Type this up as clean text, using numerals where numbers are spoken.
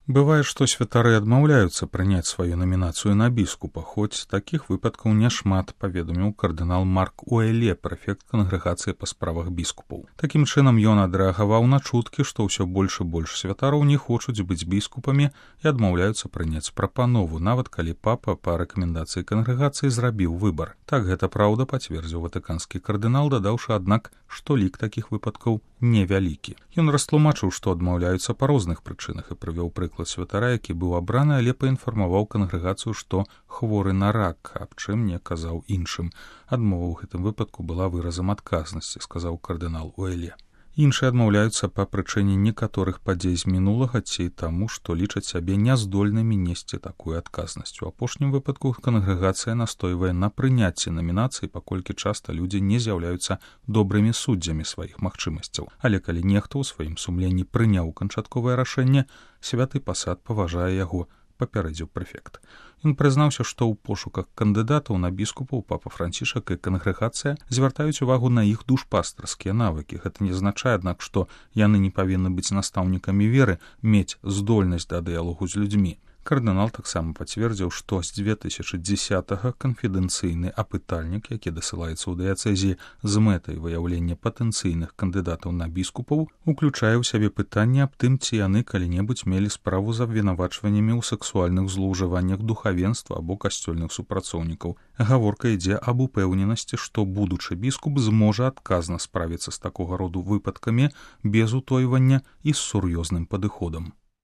Бывае, што святары адмаўляюцца прыняць сваю намінацыю на біскупа, хоць такіх выпадкаў няшмат, паведаміў кардынал Марк Уэле, прэфект кангрэгацыі па справах біскупаў. Такім чынам ён адрэагаваў на чуткі, што ўсё больш і больш святароў не хочуць быць біскупамі і адмаўляюцца прыняць прапанову, нават калі папа па рэкамендацыі кангрэгацыі зрабіў выбар. Так гэта праўда, пацвердзіў ватыканскі кардынал, дадаўшы, аднак, што лік такіх выпадкаў невялікі. Ён растлумачыў, што адмаўляюцца па розных прычынах і прывёў прыклад святара, які быў абраны, але паінфармаваў кангрэгацыю, што хворы на рак, аб чым не казаў іншым. Адмова ў гэтым выпадку была выразам адказнасці, сказаў кардынал Уэле. Іншыя адмаўляюцца па прычыне некаторых падзей з мінулага ці таму, што лічаць сябе няздольнымі несці такую адказнасць. У апошнім выпадку кангрэгацыя настойвае на прыняцці намінацыі, паколькі часта людзі не з'яўляюцца добрымі суддзямі сваіх магчымасцяў. Але калі нехта ў сваім сумленні прыняў канчатковае рашэнне, святы пасад паважае яго, папярэдзіў прэфект. Ён прызнаўся, што ў пошуках кандыдатаў на біскупаў папа Францішак і кангрэгацыя звяртаюць увагу на іх душпастарскія навыкі. Гэта не азначае, аднак, што яны не павінны быць настаўнікамі веры, мець здольнасць да дыялогу з людзьмі. Кардынал таксама пацвердзіў, што з 2010-га канфідэнцыйны апытальнік, які дасылаецца ў дыяцэзіі з мэтай выяўлення патэнцыйных кандыдатаў на біскупаў, уключае ў сябе пытанне аб тым, ці яны калі-небудзь мелі справу з абвінавачваннямі ў сексуальных злоўжываннях духавенства або касцёльных супрацоўнікаў. Гаворка ідзе аб упэўненасці, што будучы біскуп зможа адказна справіцца з такога роду выпадкамі без утойвання і з сур'ёзным падыходам.